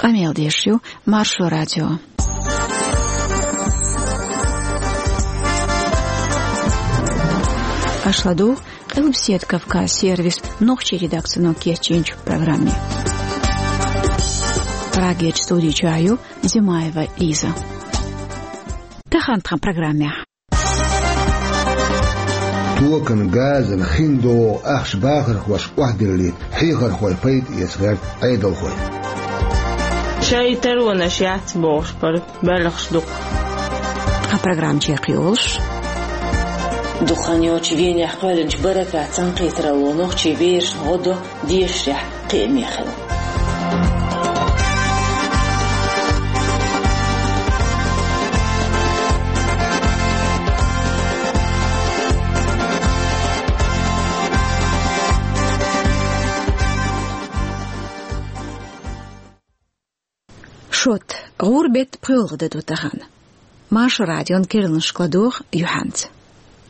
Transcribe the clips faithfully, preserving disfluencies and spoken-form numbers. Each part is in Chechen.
Къамел деш ю Маршо радио. Аша ладугӀу Къилбаседа Кавказ сервисан нохчийн редакцино кечйинчу программе. Прагерчу студи чохь ю Зимаева Лиза. Тахана тхан программехь. Токан, газан, хин догӀу ахча бахархошка охьадиллийта хьехархой пайда эца гӀерта Ӏедалхой. Шайн таронаш яц бохуш бара белхаш дукха. Тхан программа чекхйолуш. Дукха хан йоццуш Венехь кхоьллинчу Баракат цхьаьнакхетаралло нохчийн берашна гӀо до дешарехь кхиаме хилла. Шот, гӀуран беттан пхоьалгӀа де ду тахана. Маршо радион керланашка ладугӀу юьхьанца.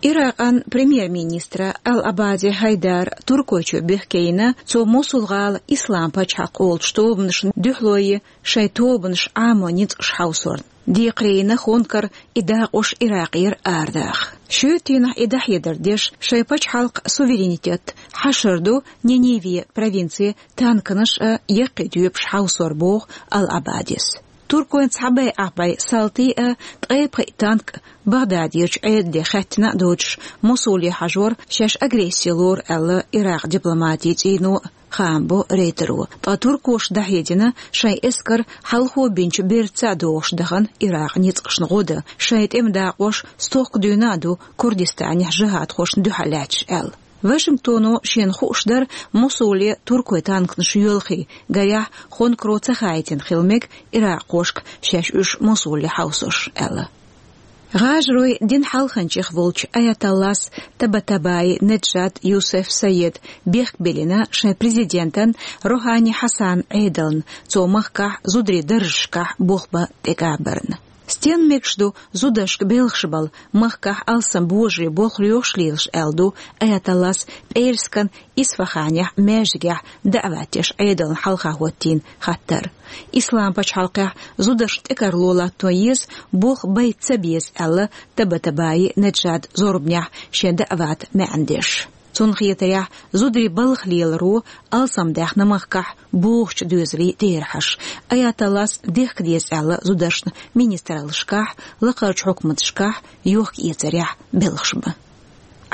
Иракъан премьер-министра Ал-Абади Хьайдара Туркойчу бехке йина, цо Мосул-гӀала Ислам пачхьалкх олучу тобанашна дуьхьало йи шайн тобанаш Ӏамо ницкъаш хьовсорна. Декхаре йина хонкара и дакъош Иракъера арадаха. Шоьтан дийнахь и дӀахьедар деш, шайн пачхьалкхан суверенитет хьашар ду Ниневе провинци танканаш а, яккхий тоьпаш хьовсор боху Ал-Абадис. Туркойн цхьа байӀахь бӀе салти а, ткъе пхиъ танк а Багъдадерчу Ӏедале хаьттина а доцуш, Мосуле хьажор шаьш агресси лору аьлла Иракъан дипломатийн цӀийно а, хаам бо Рейтеро. Ткъа туркоша дӀахьедина шайн эскар хьалхо бинчу бертаца а догӀуш дахана Иракъан ницкъашна гӀо дан, шайн тӀеман дакъош стохка дуьйна а ду Курдистанехь жихӀадхошна дуьхьал лаьтташ аьлла. Вашингтоно шена хууш дара Мосуле туркойн танканаш йоьлхий, гарехь, хонкаро ца хаийтина хила мега иракъхошка шаьш уьш Мосуле хьовсош аьлла. ГӀажаройн динан хьалханчех волчу аятоллас Табатабаи Неджад Юсеф Сайед бехк биллина шайн президентан Рохани Хьасанан Ӏедална, цо махкахь зударийн даржашкахь болх бан тӀекӀабарна. Стенна мегаш ду зударшка белхаш бала, махкахь алсам божарийн болх лоьхуш лелаш, аьлла ду аятоллас пӀераскан Исфаханехь маьждигехь даӀват деш Ӏедална хьалха хӀоттийна хаттар. Ислам пачхьалкхехь зударшна тӀекарло латто еза, болх байта ца беза, аьлла Табатабаи Неджада зорбанехь шен даӀватан маьӀна деш. Цунна хетарехь, зударийн балха леларо алсамдаьхна махкахь бохучу доьзалийн терахьаш. Аятоллас дехка деза аьлла зударшна министраллашкахь, лакхарчу хьукматашкахь йохка-эцарехь белхаш бан.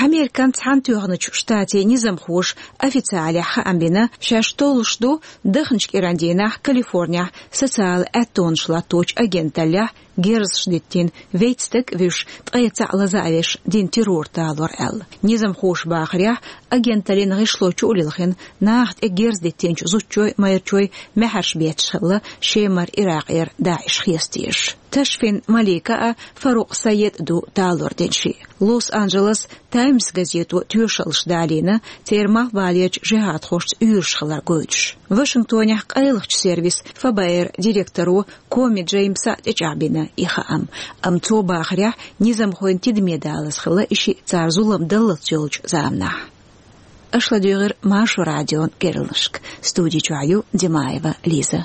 Американ Цхьаьнатоьхначу Штатийн низамхоша официалехь хаам бина, шаьш толлуш ду даханчу кӀиран дийнахь Калифорнехь социалан аьттонаш латточу агенталлехь герзаш диттина, вейтта стаг а вуьйш, ткъе цхьаъ лаза а веш, дина террор талор аьлла. Низамхоша бахарехь, агенталлин гӀишло чу а лилхина, нахах тӀе герз диттинчу зудчойн а, майрачойн а маьхьарш бетташ хилла Шемара Иракъера ДаӀиш хеста езаш. Ташфин Малика а, Фарукъ Сайед а ду талор дина шиъ. Лос-Анджелес Таймс газето тоьшаллаш далийна, церан малхбалерчу жихӀадхошца уьйраш хилар гойтуш. Вашингтонехь къайлахчу сервисан ФБР директоро Коми Джеймса а тӀечӀагӀбина и хаам. Амма цо бахарехь, низамхойн тидаме далаза хилла и шиъ цара зулам даллалц йолчу заманахь. Аша ладуьйгӀира Маршо радион керланашка. Студи чохь ю Димаева Лиза.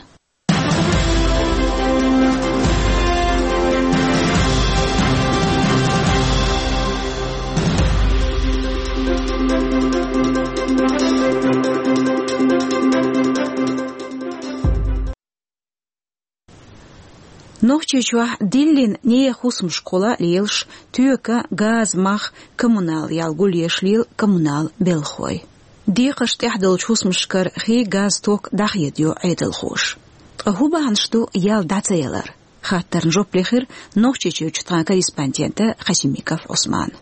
Нохчийчохь диллина нехан хӀусамашкахула лелаш тоька, газа мах, коммунал ял гулъеш лела коммунал белхахой. Декхарш тӀехь долчу хӀусамашкара хи, газ, ток дӀахедайо Ӏедалхоша. Ткъа хӀун бахьанаш ду ял дӀа ца ялар? Хаттарна жоп лехира Нохчийчуьрчу тхан корреспондента Хасимиков Ӏусмана.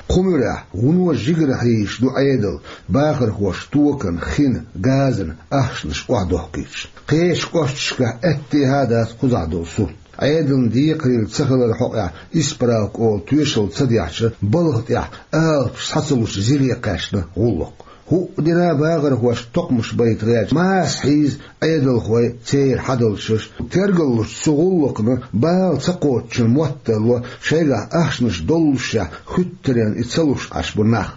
Кху муьрехь вуно жигара хьийзаш ду Ӏедал, бахархоша токан, хин, газан ахчанаш охьадохкуьйтуш. Кхечу кӀошташкахь аьттехьа а дац кхузахь долу сурт. Ӏедална декхарийлахь ца хилар хьокъехь исправка олу тоьшалла ца дехча, балха тӀехь алапаш схьа ца луш зиле кхаьчна гӀуллакх. ХӀуъа дина бахархошна токхамаш байта гӀерташ, маса хьийза Ӏедалхой, церан хьадалчаш. Тергаллучу цу гӀуллакхна бала ца кхоччун моттарло шайгахь ахчанаш доллушехь, хуьттаренна и ца луш Ӏаш бу нах.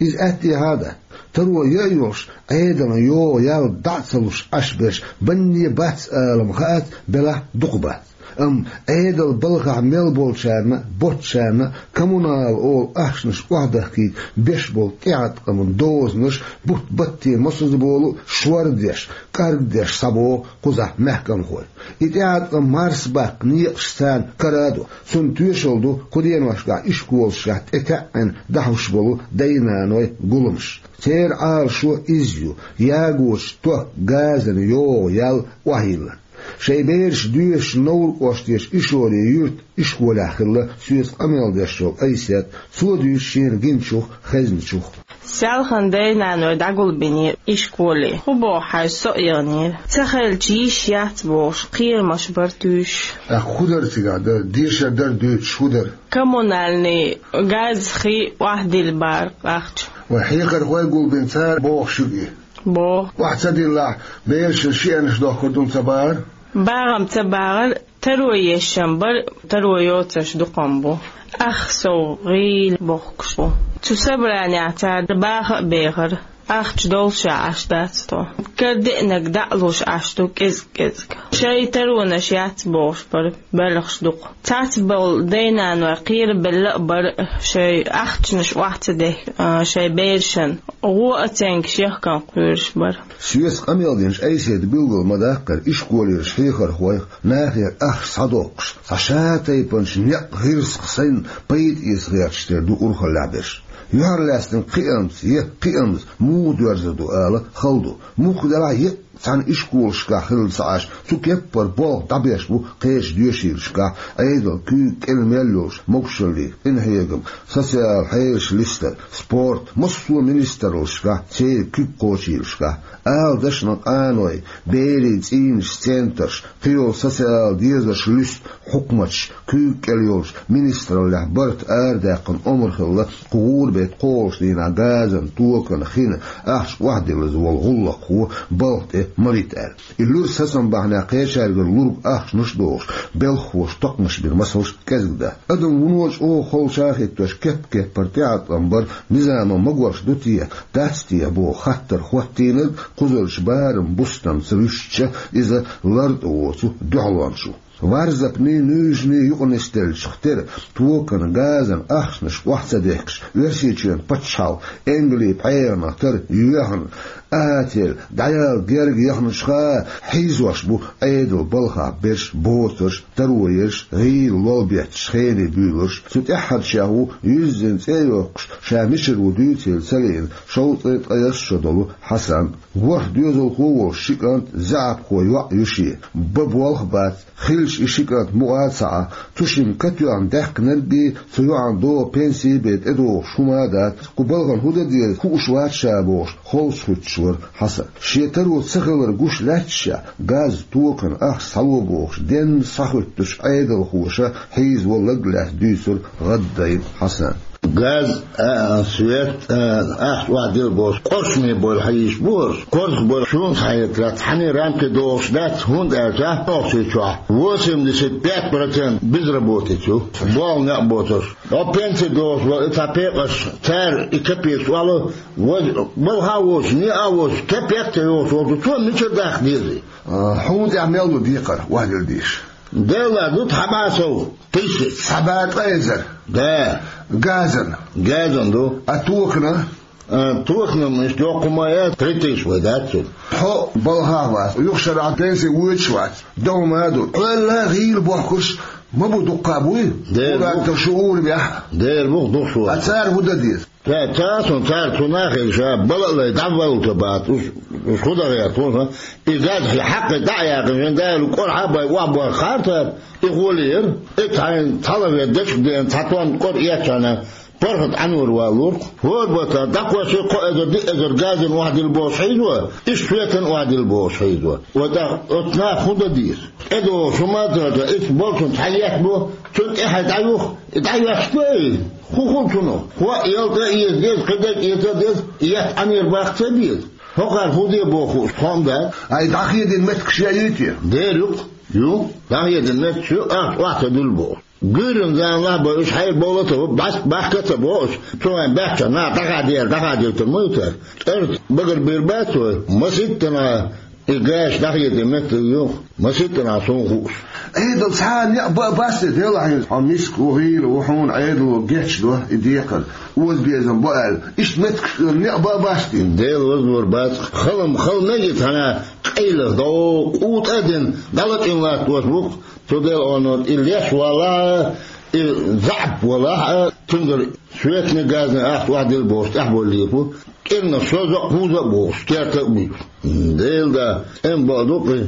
Иза аьттехьа а дац. Таро яа йолуш, Ӏедалан йогӀу ял дӀа а ца луш Ӏаш берш банне бац алам хаац, белахь дукха бац. Амма Ӏедал балхахь мел болчарна а, боцчарна а коммунал олу ахчанаш охьадахкийта беш болу тӀеӀаткъаман дозанаш бутт-батте мосазза болу а шордеш, кӀаргдеш схьабоху кхузахь маьхкамхой. И тӀеӀаткъам марсабаккха некъаш царна кара а до. Цунна тоьшалла ду кху деношкахь ишколашкахь тӀетаьӀӀина дахьуш болу дай-наной гуламаш. Церан Ӏалашо иза ю: ягочу ток газан йогӀу ял охьайиллина. Шайн бераш доьшуш Новр кӀоштан Ишоре юьртан ишколехь хилла соьца къамел деш йолу Айсет, цо дуьйцу шена гиначух, хезначух. Селхана дай-наной дӀагулбинера ишколе. ХӀун боху хьайн со а яханера. Ца хилча йиш яц бохуш, кхерамаш бара туьйсуш. ТӀаккха хӀун дара цигахь дара? Дешар дара дуьйцуш хӀун дара? Коммунальный газ, хи охьадилла бара ахча. Вайн хьехархой гулбина, цара боху шуьга и? Боху. Охьа ца диллахь, берашна шиъанаш дохкур ду ца бахара? БагӀам ца бахара, таро еш-м бара, таро йоцурш дукха-м бу. Ах, сов гӀийла бохкуш бу. Цу собранехь цара баха а бехара, ахча долуш а Ӏаш дац тхо. Кара деанарг дӀа а луш Ӏаш ду кӀезиг-кӀезиг. Шайн таронаш яц бохуш бара, белхаш дукха. Цхьацболу дай-наной кхерабелла а бара шайн ахчанаш охьа ца дехка, а, шайн берашна. ГӀо а ценгаш яхкан кхоьруш бара. Соьца къамел динчу Айсета билгал ма-даккхара, ишколера хьехархойх, нахера ахча схьадоккхуш, цхьа ша тайпанчу некъ гӀирсах сайна пайда эца гӀерташ тера ду урхаллехь берш. Юьхьарлаьцнарг кхиамца, е кхиамца муха доьрзур ду ала хала ду. Мухха делахь а, е цхьана ишколашкахь хилла ца Ӏаш, цу кеппара болх дӀабеш бу кхечу доьшийлашкахь, Ӏедалан куьйга кӀел мел йолуш могушаллин къинхьегам, социалан хьелаш листар, спорт, массо а министраллашкахь, церан куьг кхочуш йолушкахь. Ала дашна къаной, берийн цӀийнаш, центраш, кхийолу социалан дезарш луьсту хьукматаш, куьйга кӀел йолчу министраллехь барт арадаьккхина омра хилла, кху гӀуран беттан кхоалгӀачу дийнахь газан, токан, хин ахча охьадиллаза волу гӀуллакхо балха тӀе ма вита аьлла. И луьра сацам бахьанехь кхечаьргара лург ахчанаш а дохуш, белхахоша токхамаш бина масалш кӀезиг дац. Адам вуно чӀогӀа холча а хӀиттош, кеп-кеппара тӀеӀаткъам бар низамо магош ду те, дац те боху хаттар хӀоттийнарг кхузарчу барам бустамца вуьшча, иза лартӀа воцу дуьхьалончо. Варзапний, нуьйжаний юкъа нисделлачух тера токан, газан ахчанаш охьа ца дехкаш, Оьрсийчоьнан пачхьалкх Энгли пхьегӀанах тара йоьхна, АТЛ дӀаяла герга яхначуха хьийзош бу Ӏедалан балхахь берш, боцурш, таро ерш, гӀийла лол бетташ хене буьйлурш. Цу тӀаьххьарчех ву юьззина цӀе а йоккхуш, ша мичара ву дуьйцийла ца лиъна, шовзткъе ткъайесна шо долу Хьасан. ВорхӀ доьзалхо а волуш ши кӀант, заьӀапхо йоӀ ю шен. Бан болх а бац, хилча и ши кӀант мукъа а ца Ӏа. Цу шимма катоьхна даьккхинарг бен, цу йоӀан догӀа пенси бен тӀедогӀуш хӀума а дац. Кху балхана хӀун дан деза, хууш вац ша бохуш, холчухуьттуш вара Хьасан. Шен таро ца хилар гуш лаьтташехь, газ, токан ахча схьало бохуш, денна схьахуьттуш Ӏедалхоша хьийзаво лаг лаьцна дуьйцура гӀаддайна Хьасана. Газ а, свет а, ахча охьадилла бохуш, къоршаме бойла хьан йиш бу хӀорш? Корзах бойла шуна схьахетарехь, цхьанне рамке догӀуш дац, хӀунда аьлча Нохчийчохь восемьдесят пять процент безработица ю, болх некъ боцурш. О, пенси догӀуш вара и цхьа пекъаш, цара и капекаш оьлла, ваз балха а воцуш, некъа а воцуш, капек а ца йогӀуш волчу, цо мичара даккха деза? А, хьуна тӀехь мел ду декхар, охьадилла дезаш? Делла ду цхьа бӀе сов тысяч. Цхьа бӀе ткъа эзар? Да. Газан? Газан ду. А токана? А, токана-м иштта йоккха хӀума яц, три тысячи вай дац цунна. Хьо балхахь вац, юха шарахь пенси воьдуш вац, догӀма а ду. Хьол а гӀийла бохкурш ма бу дуккха а буй? Дера бу. Ур-атталла шу урамехь. Дера бу, дукха шу. А цара хӀун дан деза? Ца, ца, сон цара цунах а ша бала а лай, дӀаваллалц бац, уьш, уьш хӀун дан гӀерта, хӀун сан? И газ хьакхе дӀа а яьккхина, вайн Дала кӀорхьа а бай, охьабойла хаар цара, и гӀоле яра. И цхьайна цхьалгӀа дечиг деана, цхьа тонна кӀор эцчахьана, паргӀат Ӏанор валлург. ХӀора баттахь дӀакхоьссий кхо эзар, диъ эзар газан охьадилла бохуш хьийзаво, иштта светан охьадилла бохуш хьийзаво. Ва тӀаккха оцу наха хӀун дан деза? ТӀедогӀуш хӀума а ца хилча, иштта болчунна цхьа етта бу, цунна тӀаьхьа дӀаюха, и дӀайоьссуш ду и? ХӀун хуьлу цунах? ХӀоъ ялта а эца деза, кхидерг эца а деза, и етта Ӏанера баккха ца беза. ХӀокхара хӀун де боху хууш, тхо-м дац. Ай, дӀахедина меттигаш яй те? Дера ю-кх, ю, дӀахедина меттигаш ю, ахча охьа ца дуьллу бохуш. Гуьйран зама лахь бо, уьш хьайр бовла ца бо, бац-, бахка ца бо уьш. Цу вайн баьхча, на, дӀахадера, дӀахадийтар ма ю цара. ЦӀарца багарбийр бац вай, маситтана и гаш дӀахеде метта юха, маситтана суна хууш. Ӏедал цхьа а некъ ба а басте, делахь хьо миска ву, гӀийла ву, хьуна Ӏедало гечдо и декхар, озабезам бо аьлла. Иштта меттигаш некъ ба а басте. Дела вазвар бац. Халам, хала мега цхьана къайлаха дов, къу тӀа а дина, дӀалачкъийна латтош ву-кх. Цу Делан Ӏуналла и леш валахь а, и заьӀап валахь а, цуьнгара светни газни ахча охьадилла бохуш, тӀехбовла лийр бу. КӀирнах шозза а, кхузза а бохуш, керта а буьйцуш. Дела да, тӀем бакъду-кх и.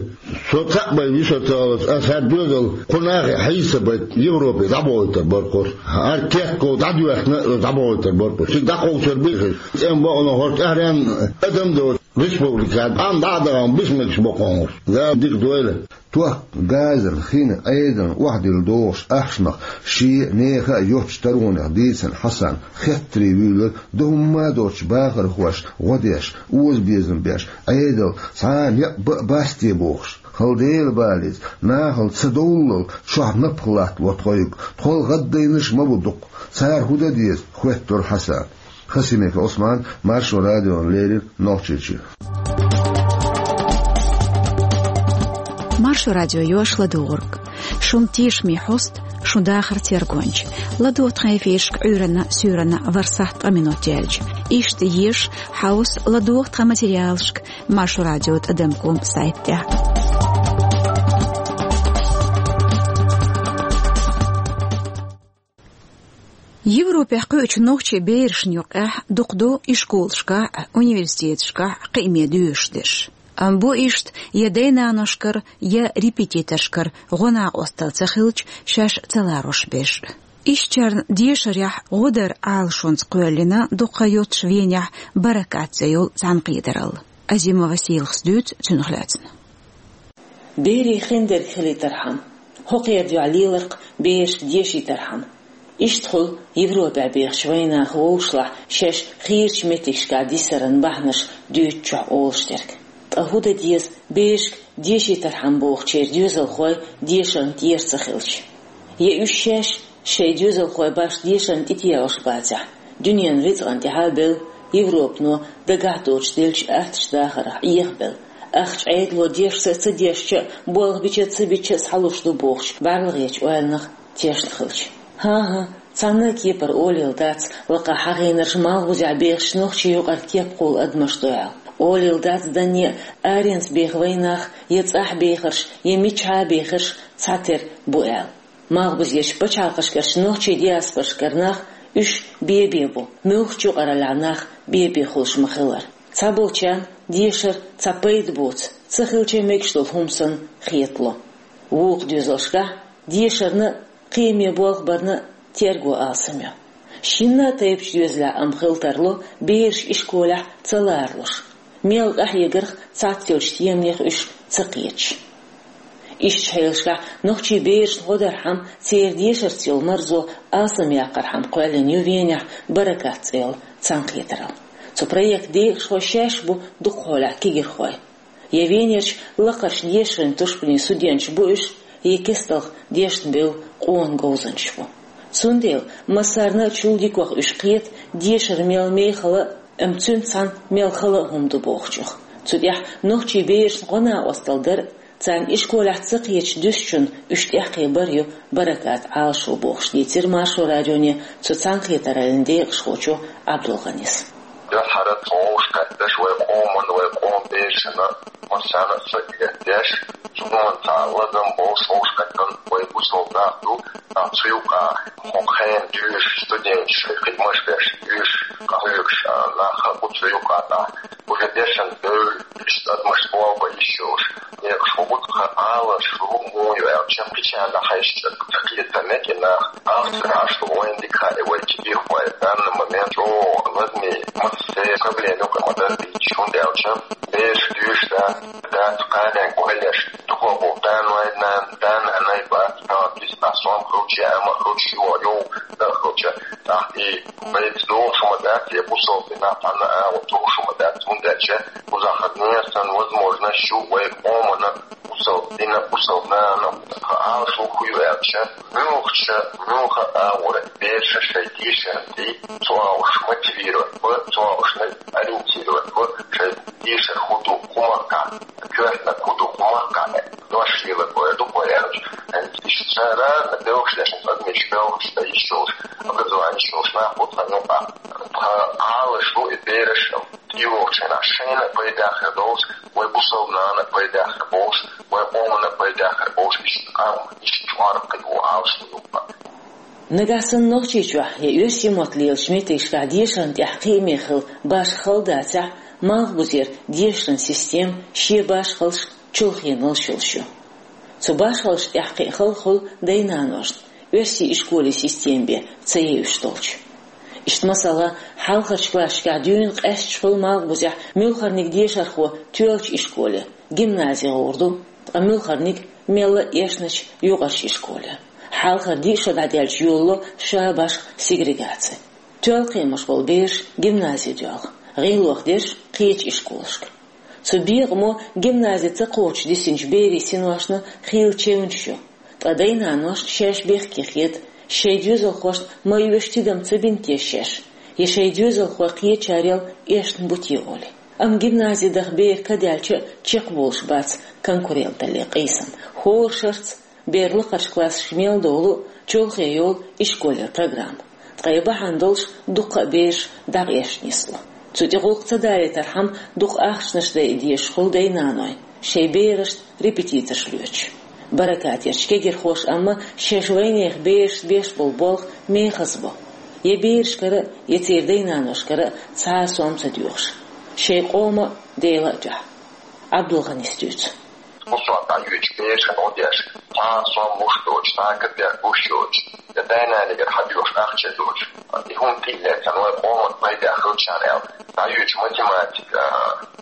Со цхьаъ бай виса ца хилча, аса хӀара доьзал кху нахе хьийса бай Европе дӀабохуьйтур бара-кх уьш. ХӀара кехков дӀадоьхкина а дӀабохуьйтур бара-кх уьш. Цига дӀакховсар бийхира. ТӀем бакъду хӀорш тӀаьхьаренна адам доцу республика. Ӏам дӀа а дахана, бисмагаш боккхуш. Дала дика дойла. Тохка, газан, хин, Ӏедан охьадилла догӀуш ахчанах шен а, нехан а йоцчу таронех дийцина Хьасан хеттаре вуьйлар, дан хӀумма а доцчу бахархошна гӀо деш, озабезам беш, Ӏедал цхьа а некъ ба а басте бохуш. Хала Дела балийца, нахала ца довллал чохь напха латтало тхоьга, тхол гӀаддайнарш а ма бу дукха. Цара хӀун дан деза, хоьттура Хьасана. Хасимиков Ӏусман, Маршо радиона леррина, Нохчийчоь. Маршо радио йош ладугӀург. Шун тешаме хьоста, шун дахар тергонча. ЛадогӀа тхан эфирашка Ӏуьйранна, суьйранна ворхӀ сахьт ткъа минот яьлча. Иштта еша, хьовса, ладогӀа тхан материалашка Маршо радио тӀадам ком сайта тӀехь. Европехь кхуьучу нохчийн берашна юкъехь дукха ду ишколашкахь а, университеташкахь а кхиаме доьшуш дерш. Амма бу иштта я дай-наношкара, я репетиторшкара гӀо-накъосталла ца хилча, шаьш ца ларош берш. Ишттачарна дешарехь гӀо дар Ӏалашонца кхоьллина дукха йоццуш Венехь «Баракат» цӀе йолу цхьаьнакхетаралла. Азимова Сийлахас дуьйцу цунах лаьцна. Берийн хиндерг хилийтархьама, хӀокхеран дуьхьа леларх берашка дешийтархьама. Иштта хуьлу Европехь бехачу вайнаха вовшашлахь шаьш хийрачу меттигашкахь дисаран бахьанаш дуьйцучохь олуш дерг. Ткъа хӀун дан деза берашка дешийтархьама бохучеран доьзалхой дешарна тӀера ца хилча? Я уьш шаьш шайн доьзалхой башха дешарна тӀетеӀуш бацахь, дуьненан рицкъана тӀаьхьа а белла, Европано дагахь доцуш деллачу аттачу дахарх Ӏехабелла, ахча Ӏедало дешца а, ца дешча а, болх бича а, ца бича а схьалуш ду бохучу бӀаьрлагӀерчу ойланах тешна хилча. ХӀан-хӀа, цхьанна а кепара олийла дац лакхахь хьахийнарш малхбузехь бехачу нохчийн юкъара кеп кхуллу адамаш ду аьлла. Олийла дац данне а, аренца беха вайнах я цӀахь бехарш, я мичахьа а бехарш цхьатера бу аьлла. Малхбузерчу пачхьалкхашкарчу нохчийн диаспорашкара нах уьш бен-бен бу, муьлххачу юкъараллехь нах бен-бен хуьлуш ма-хиллара. Цхьаболчарна дешар цхьа пайда боцу, ца хилча а мегаш долу хӀума санна хетало. Вукху доьзалшкахь дешарна а, кхиаме болх барна а терго алсам ю. Шинна а тайпанчу доьзалехь амма хила тарло бераш ишколехь ца ларалуш, мел къахьегарх цхьацца йолчу теманех уьш ца кхеташ. Ишттачу хьелашкахь нохчийн берашна гӀо дархьама, церан дешарца йолу марзо алсамъяккхархьама кхоьллина ю Венехь «Баракат» цӀе йолу цхьаьнакхетаралла. Цу проектан декъашхой шаьш бу дукхахьолехь кегийрхой. Я Венерчу лакхарчу дешарийн тушпанийн студенташ бу уьш, я кестта дешна бевлла къона говзанчаш бу. Цундела массарна а чул дикох уьш кхета, дешар мел мехала а, амма цуьнца цхьаьна мел хала а хӀума ду бохучух. Цу тӀехь нохчийн берашна гӀо-накъосталла дар а, царна ишколехь ца кхеташ дуьсучунна уьш тӀекхабар а ю «Баракат» Ӏалашо бохуш, дийцира Маршо радионе цу цхьаьнакхетараллин декъашхочо Ӏабдулгъанис. Дуьххьара тхо вовшахкхетташ вай къоман, вай къоман берашна массарна а сагатдеш, цунна цхьа лазам болуш вовшахкхетта вай бусалба нах ду, а, цу юкъа хӀокху хенан дуьйш студенташ, хидмаш беш, дуьйш къахьоьгуш, а, нах а бу цу юкъа тӀехь. Уже дешан девлла, иштта адамаш болх бан йиш йолуш, декъашхо бу тхан Ӏалашо муха ю аьлча, кхечарна хьаьжча, ца кхетар некъ и нах, ахча ца Ӏаш ду, вайн дика хаьа вай кегийрхой, данна момент чӀогӀа ладаме, массеран проблема юкъа ма-дарра дийцича, хӀунда аьлча бераш дуьйш дац, дац кханенга ойла еш, дукха бу, да-ной, нана, да-нанай бац, тхан киснахь сом хилча, амма хилча, йо, йо, да хилча, тӀаккха и пайда догӀуш хӀума дац, я бусалба динехь цхьанна а агӀо тухуш хӀума дац, хӀунда аьлча кхузахь хаза ненан санна возможность ю вай къомана, Со дина бусалба нана, Ӏалашо хӀу ю аьлча, муьлхача, муьлха агӀора бераша шоай дешаран тӀе, цу агӀорш мотивировать ба, цу агӀоршна ориентировать ба, шоай дешар хӀу ду, хӀу мара кхы, коьртаниг хӀу ду, хӀу мара кхы, дош лелар бой, ду бой аьлча. Иштта цара белхаш деш, адамаш белхаш да йиш йолаш, образовани йиш йолаш нах бу тхан юкъа. Тхан Ӏалашо и бераш, тӀейогӀучу хенахь шайна пайда хир долуш, вай бусалба нана пайда хир болуш, вай къомана пайда хир болуш, иштта къам, иштта чкъор кхин ву Ӏалашо юкъа. Нагахь санна Нохчийчохь я оьрсийн мотт лелачу меттигашкахь дешарна тӀехь кхиаме хила башха хала дацахь, Малхбузера дешаран система шен башхаллаш, чулхеналлаш йолуш ю. Цу башхаллашна тӀехь кхин хала хуьлу дай-наношна, оьрсийн ишколийн система бен ца евзаш долчу. Иштта, масала, хьалхарчу классашкахь дуьйна къаьсташ хуьлу Малхбузехь муьлхарниг дешархо тоьллачу ишколе, гимназе гӀур ду, ткъа муьлхарниг мелла а эшначу юкъарчу ишколе. Хьалхара диъ шо дӀадаьлча йолало ша башха сегрегаци. Тоьлла кхиамаш болу бераш гимназе доьлху, гӀиллакх дерш кхечу ишколашка. Цу бекъамо гимназе ца кхочуш дисинчу берийн синошна хийла чевнаш ю, ткъа дай-наношна шаьш бехке хета, шайн доьзалхошна ма оьшу тидам ца бина те шаьш, я шайн доьзалхой кхечарел эшна бу те олий. Амма гимназе даха бер ка даьлча а чекхболуш бац конкуренталле къийсам. ХӀора шарца бер лакхарчу классашка мел долу чолхе йолу ишколера программа. Ткъе бахьана долуш дуккха а бераш дӀакъаьсташ нисло. Цу тӀе гӀуллакх ца далийтархьама, дукха ахчанаш дайа дезаш хуьлу дай-наной, шайн берашна репетиторш лоьцуш. Баракатерчу кегирхоша амма шаьш вайнехан берашна беш болу болх мехаза бо. Я берашкара, я церан дай-наношкара цхьа а сом ца доьхуш. Шайн къоман а, Делан а дуьхьа. Ӏабдулгъанис дуьйцу. Кху сохьта дӀайоьдучу берашна гӀо деш, цхьа а сом луш доцуш, цхьа а капек гуш йоцуш, я дай-нанегара хьадоьхуш ахча доцуш, и хӀума тӀе а лаьцна, вай къоман пайда хилчарна аьлла, дӀайоьдучу математика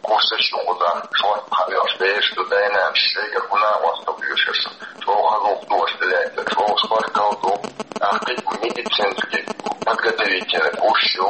курсаш ю кхузахь, шортта хьаоьхуш бераш ду, дай-нанас шайгара хӀун накъосталла оьшу аша, чӀогӀа хаза гӀуллакх ду аша тӀелаьцна, чӀогӀа спортал ду, тӀаккха кхин медицинский подготовительный курс ю,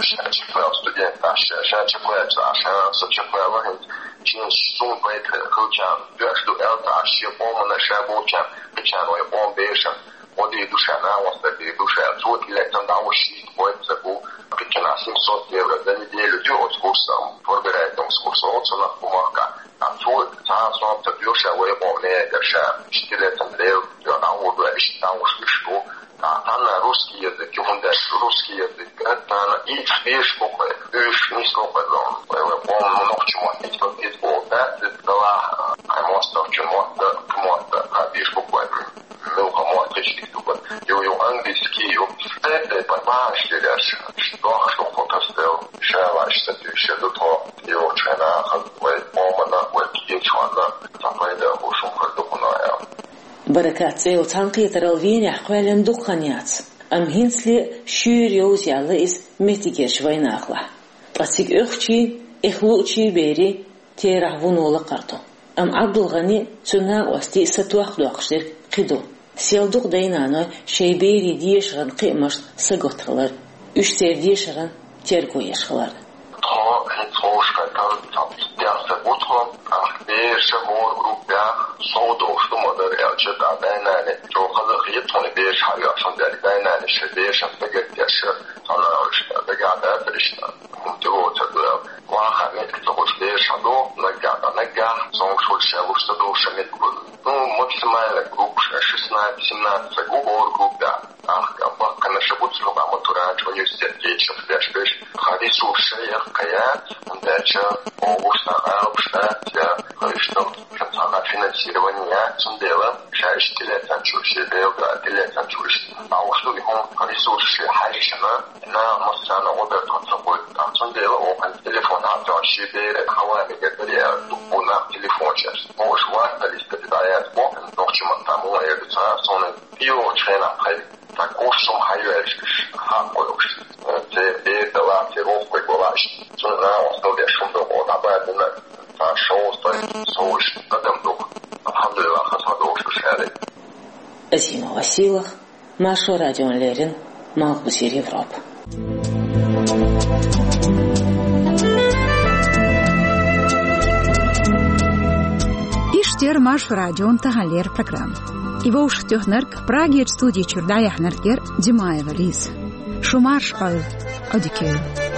ша чекхваьлла студент, ша, ша чекхваьлча, ша, со чекхваьлла хӀинца. Шен сум пайда хилчарна доьш ду аьлла, ша шен къомана, ша болчарна, кхечарна, вай къоман берашна гӀо дийр ду ша, накъосталла дийр ду ша, цо тӀелаьцна дӀавуьгуш шийтта гой ца бу, кхечанхьа семьсот евро за неделю ду оцу курсана, форберайтамс курс олу цунах бу махкахь. Ткъа цо цхьа а сом ца доьху ша вай къоман мехкара ша, иштта тӀелаьцна Дела дуьхьа дӀагӀур ду аьлла, иштта дӀагӀуш луьйш ду. Цхьанна русский язык, хӀунда аьлча русский язык, цхьанна ийца бераш бу-кх вай, уьш нисло-кх вай зовна. Вай, вай къоман нохчийн мотт, итт бакъ итт боху дац, иза далахь, хьайн мостагӀчун мотт, кху мотт, а, бераш бу-кх вай. Муьлха мотт хиш дика ду бан. Ю, ю, английский ю. Церан тайпа бахьаш дерш, дохуш ду кху тасдел. Ша лаьш ца туьйша ду тхо, йогӀучу хенахь вай къомана, вай кхечарна, цхьа пайда хӀу шун хир ду кхунна аьлла. Баракат цӀе йолу цхьаьнакхетаралла Венехь кхоьллина дукха хан яц, амма хӀинцале а шуьйра йовза яьлла иза меттигерчу вайнахалахь. Ткъа цига оьхучийн, эхь луучийн берийн терахь вуно лакхара ду. Амма Ӏабдулгъанин, цуьнан накъостийн сатохкадоккхуш дерг кхин ду. Сел дукха дай-наной шайн берийн дешаран кхиамашна сагатта хилар, уьш церан дешаран терго еш хилар. Тхо хӀинца ховшахкхетта, цхьа итт-даьхни стаг ву тхо, тӀаккха бераш хӀора группехь сов долуш ду ма-дарра аьлча, тӀаккха дай-нанна чӀогӀа хаза а хета тхуна бераш хьайоьхуш, хӀунда аьлча дай-нанас шайн берашна дагардеш, цхьана уьш дагахь дацара иштта, хӀума тӀелоцур ду аьлла. Ваха меттиг ца хуьлуш бераш хьадоху, наггахь, наггахь, цомгуш хуьлуш, ша луш ца долуш, ша меттиг хуьлу. Ну, максимально группаш шестнадцать-семнадцать стаг ву хӀора группехь. Ахка баккханаш а бу цу юкъахь, матурант, университет кечам беш берш, тхан ресурс ша яккха яц, хӀунда аьлча оха гуш сан алапаш дац, я хӀара иштта цхьана финансирование яц, цундела ша иштта тӀелаьцначуьра, шен Дела дуьхьа тӀелаьцначуьра иштта дӀалуш ду и хӀума, тхан ресурс шен хьаьжча, наха массарна гӀо дар тхо ца гойту. ТӀаккха цундела оха телефон хьаоьцуш шен беран хьаванигара даре аьлла, дуккха нах телефонаш еш. Оха ватталлиста дӀаяц боху, нохчийн маттахь муха эр ду ца, суна ТӀейогӀучу хенахь тхайн цхьа курс хӀума хьайоьллуш, хьакхойуш. Церан бер далахь, церан воккхаве гулахь, цунна накъосталла деш хӀума ду-кх, дӀабаьлла цхьа шовзткъа стаг совгӀат адам ду-кх. Алхьамдулиллах, хаза хьадогӀуш ду ша аьлла. Азима Василах, Маршо радиона леррина, Малхбузера Европа. Иштта Маршо радион таханлера программа. И вовшахтоьхнарг, Прагерчу студи чуьра дӀаяьхьнарг яра Димаева Лиза. Шу марша Ӏойла, Ӏодика йойла.